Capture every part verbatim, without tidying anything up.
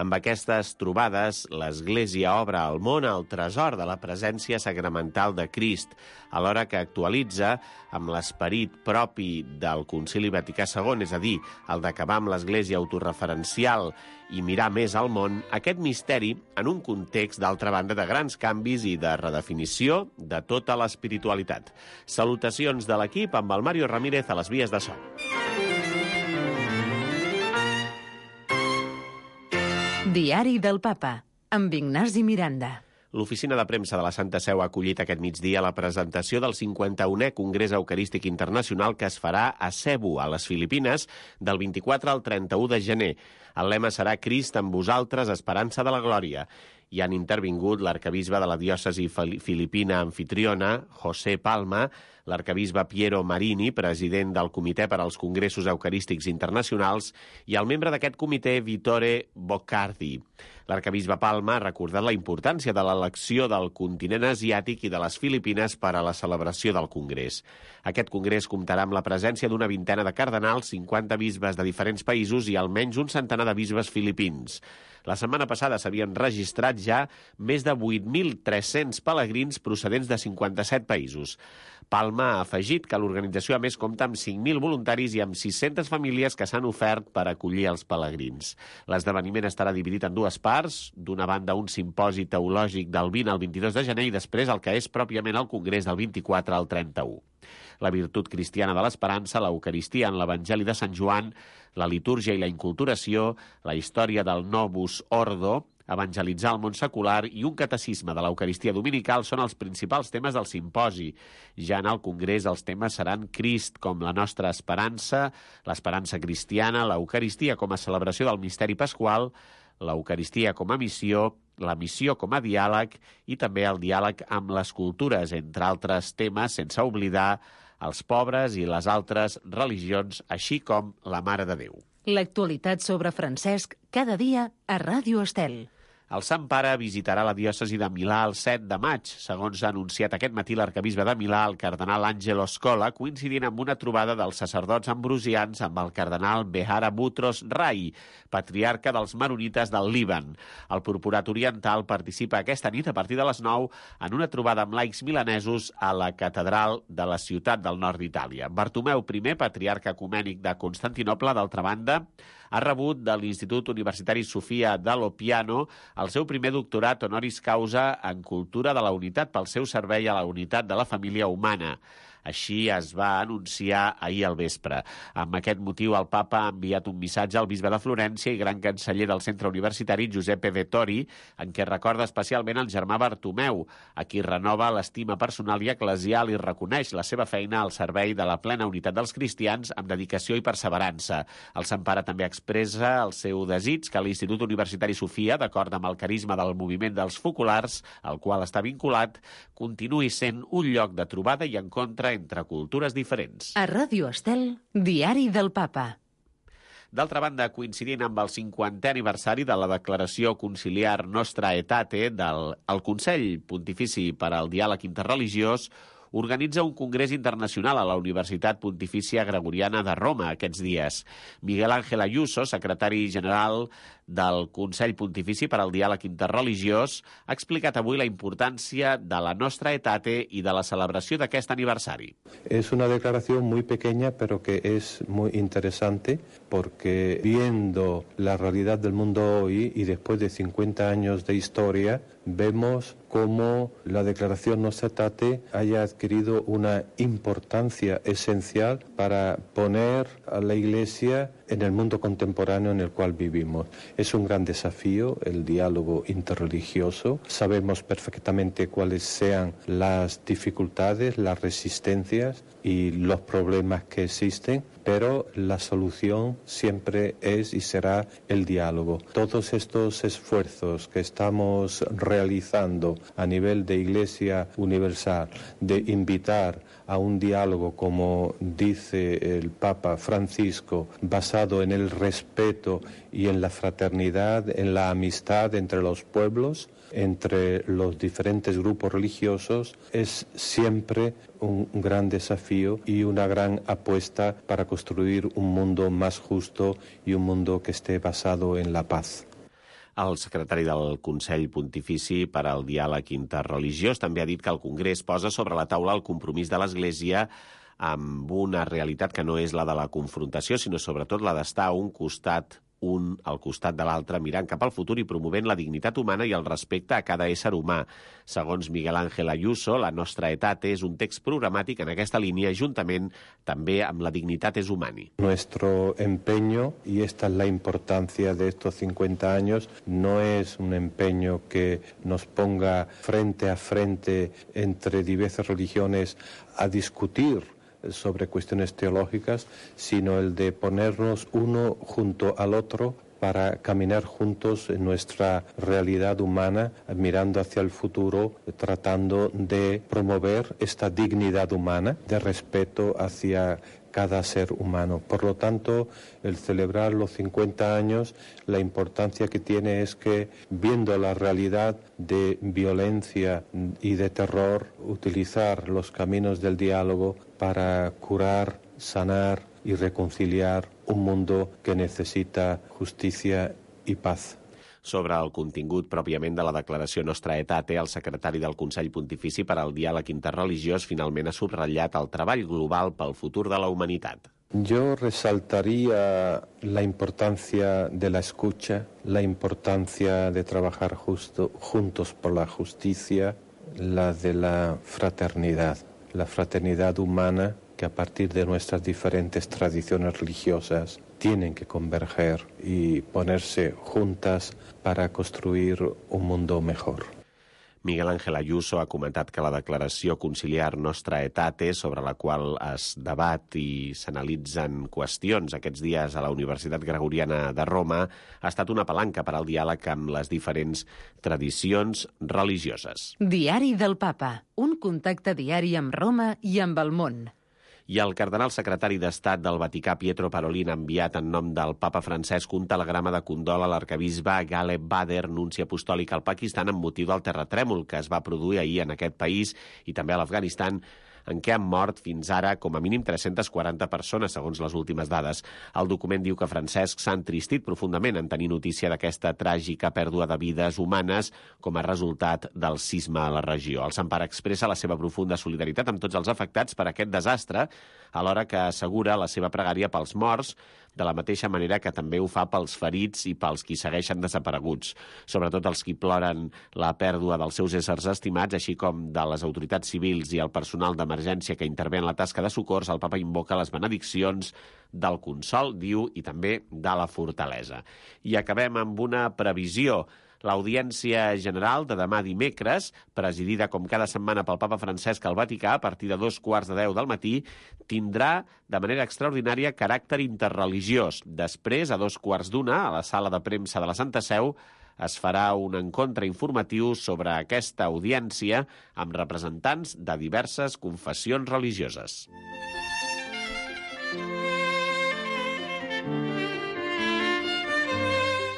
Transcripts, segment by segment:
Amb aquestes trobades, l'Església obre al món el tresor de la presència sacramental de Crist, alhora que actualitza amb l'esperit propi del Concili Vaticà segon, és a dir, el d'acabar amb l'Església autorreferencial i mirar més al món, aquest misteri en un context, d'altra banda, de grans canvis i de redefinició de tota l'espiritualitat. Salutacions de l'equip amb el Mario Ramírez a les vies de so. Diari del Papa, amb Ignasi Miranda. L'Oficina de Premsa de la Santa Seu ha acollit aquest migdia la presentació del cinquanta-unè Congrés Eucarístic Internacional que es farà a Cebu, a les Filipines, del vint-i-quatre al trenta-u de gener. El lema serà Crist amb vosaltres, esperança de la glòria. Hi han intervingut l'arcabisbe de la diòcesi filipina anfitriona, José Palma, l'arcabisbe Piero Marini, president del Comitè per als Congressos Eucarístics Internacionals, i el membre d'aquest comitè, Vittore Boccardi. L'arcabisbe Palma ha recordat la importància de l'elecció del continent asiàtic i de les Filipines per a la celebració del Congrés. Aquest congrés comptarà amb la presència d'una vintena de cardenals, cinquanta bisbes de diferents països i almenys un centenar de bisbes filipins. La setmana passada s'havien registrat ja més de vuit mil tres-cents pelegrins procedents de cinquanta-set països. Palma ha afegit que l'organització a més compta amb cinc mil voluntaris i amb sis-centes famílies que s'han ofert per acollir els pelegrins. L'esdeveniment estarà dividit en dues parts, d'una banda un simposi teològic del vint al vint-i-dos de gener i després el que és pròpiament el congrés del vint-i-quatre al trenta-u. La virtut cristiana de l'esperança, l'Eucaristia en l'Evangeli de Sant Joan, la litúrgia i la inculturació, la història del Novus Ordo, evangelitzar el món secular i un catecisme de l'Eucaristia dominical són els principals temes del simposi. Ja en el Congrés els temes seran Crist com la nostra esperança, l'esperança cristiana, l'Eucaristia com a celebració del misteri pasqual, l'Eucaristia com a missió, la missió com a diàleg i també el diàleg amb les cultures, entre altres temes, sense oblidar els pobres i les altres religions, així com la Mare de Déu. L'actualitat sobre Francesc cada dia a Ràdio Estel. El Sant Pare visitarà la diòcesi de Milà el set de maig, segons ha anunciat aquest matí l'arcabisbe de Milà, el cardenal Angelo Scola, coincidint amb una trobada dels sacerdots ambrosians amb el cardenal Behara Boutros Rai, patriarca dels maronites del Líban. El Purpurat Oriental participa aquesta nit a partir de les nou en una trobada amb laics milanesos a la catedral de la ciutat del nord d'Itàlia. Bartomeu I, patriarca ecumènic de Constantinoble, d'altra banda, ha rebut de l'Institut Universitari Sofia Dallopiano el seu primer doctorat honoris causa en Cultura de la Unitat pel seu servei a la unitat de la família humana. Així es va anunciar ahir al vespre. Amb aquest motiu, el papa ha enviat un missatge al bisbe de Florència i gran canceller del centre universitari, Giuseppe Vettori, en què recorda especialment el germà Bartomeu, a qui renova l'estima personal i eclesial i reconeix la seva feina al servei de la plena unitat dels cristians amb dedicació i perseverança. El Sant Pare també expressa el seu desig que l'Institut Universitari Sofia, d'acord amb el carisma del moviment dels focolars, al qual està vinculat, continuï sent un lloc de trobada i encontre entre cultures diferents. A Ràdio Estel, Diari del Papa. D'altra banda, coincidint amb el cinquantè aniversari de la declaració conciliar Nostra Aetate del el Consell Pontifici per al Diàleg Interreligiós, organitza un congrés internacional a la Universitat Pontifícia Gregoriana de Roma aquests dies. Miguel Ángel Ayuso, secretari general del Consell Pontifici per al Diàleg Interreligiós, ha explicat avui la importància de la Nostra Aetate i de la celebració d'aquest aniversari. Es una declaración muy pequeña, pero que es muy interesante, porque viendo la realidad del mundo hoy y después de cincuenta años de historia, vemos cómo la declaración Nostra Aetate haya adquirido una importancia esencial para poner a la Iglesia en el mundo contemporáneo en el cual vivimos. Es un gran desafío el diálogo interreligioso. Sabemos perfectamente cuáles sean las dificultades, las resistencias y los problemas que existen, pero la solución siempre es y será el diálogo. Todos estos esfuerzos que estamos realizando a nivel de Iglesia Universal, de invitar a un diálogo, como dice el Papa Francisco, basado en el respeto y en la fraternidad, en la amistad entre los pueblos, entre los diferentes grupos religiosos, es siempre un gran desafío y una gran apuesta para construir un mundo más justo y un mundo que esté basado en la paz. El secretari del Consell Pontifici per al Diàleg Interreligiós també ha dit que el Congrés posa sobre la taula el compromís de l'Església amb una realitat que no és la de la confrontació, sinó sobretot la d'estar a un costat un al costat de l'altre, mirant cap al futur i promovent la dignitat humana i el respecte a cada ésser humà. Segons Miguel Ángel Ayuso, La Nostra Aetate és un text programàtic en aquesta línia, juntament també amb la Dignitatis Humani. Nuestro empeño, y esta es la importancia de estos cincuenta años, no es un empeño que nos ponga frente a frente entre diversas religiones a discutir sobre cuestiones teológicas, sino el de ponernos uno junto al otro para caminar juntos en nuestra realidad humana, mirando hacia el futuro, tratando de promover esta dignidad humana, de respeto hacia cada ser humano. Por lo tanto, el celebrar los cincuenta años, la importancia que tiene es que, viendo la realidad de violencia y de terror, utilizar los caminos del diálogo para curar, sanar y reconciliar un mundo que necesita justicia y paz. Sobre el contingut pròpiament de la declaració Nostra Aetate, el secretari del Consell Pontifici per al Diàleg Interreligiós finalment ha subratllat el treball global pel futur de la humanitat. Yo resaltaría la importancia de la escucha, la importancia de trabajar justo, juntos por la justicia, la de la fraternidad, la fraternidad humana que a partir de nuestras diferentes tradiciones religiosas tienen que converger y ponerse juntas para construir un mundo mejor. Miguel Ángel Ayuso ha comentat que la declaració conciliar Nostra Aetate, sobre la qual es debat i s'analitzen qüestions aquests dies a la Universitat Gregoriana de Roma, ha estat una palanca per al diàleg amb les diferents tradicions religioses. Diari del Papa, un contacte diari amb Roma i amb el món. I el cardenal secretari d'Estat del Vaticà, Pietro Parolin, ha enviat en nom del papa Francesc un telegrama de condol a l'arquebisbe Ghaleb Bader, nunci apostòlic al Pakistan, amb motiu del terratrèmol que es va produir ahir en aquest país i també a l'Afganistan, en què han mort fins ara com a mínim tres-centes quaranta persones, segons les últimes dades. El document diu que Francesc s'ha entristit profundament en tenir notícia d'aquesta tràgica pèrdua de vides humanes com a resultat del sisme a la regió. El Sant Pare expressa la seva profunda solidaritat amb tots els afectats per aquest desastre, alhora que assegura la seva pregària pels morts, de la mateixa manera que també ho fa pels ferits i pels qui segueixen desapareguts, sobretot els qui ploren la pèrdua dels seus éssers estimats, així com de les autoritats civils i el personal d'emergència que intervé en la tasca de socors. El papa invoca les benediccions del consol, diu, i també de la fortalesa. I acabem amb una previsió. L'Audiència General de demà dimecres, presidida com cada setmana pel papa Francesc al Vaticà a partir de dos quarts de deu del matí, tindrà de manera extraordinària caràcter interreligiós. Després, a dos quarts d'una, a la sala de premsa de la Santa Seu, es farà un encontre informatiu sobre aquesta audiència amb representants de diverses confessions religioses.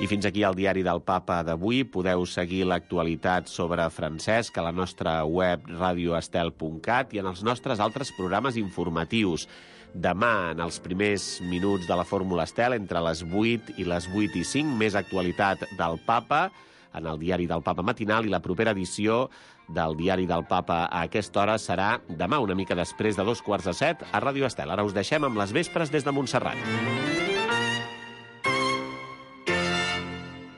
I fins aquí el diari del Papa d'avui. Podeu seguir l'actualitat sobre Francesc a la nostra web radio estel punt cat i en els nostres altres programes informatius. Demà, en els primers minuts de la Fórmula Estel, entre les vuit i les vuit i cinc, més actualitat del Papa en el diari del Papa matinal, i la propera edició del diari del Papa a aquesta hora serà demà, una mica després de dos quarts de set, a Ràdio Estel. Ara us deixem amb les vespres des de Montserrat.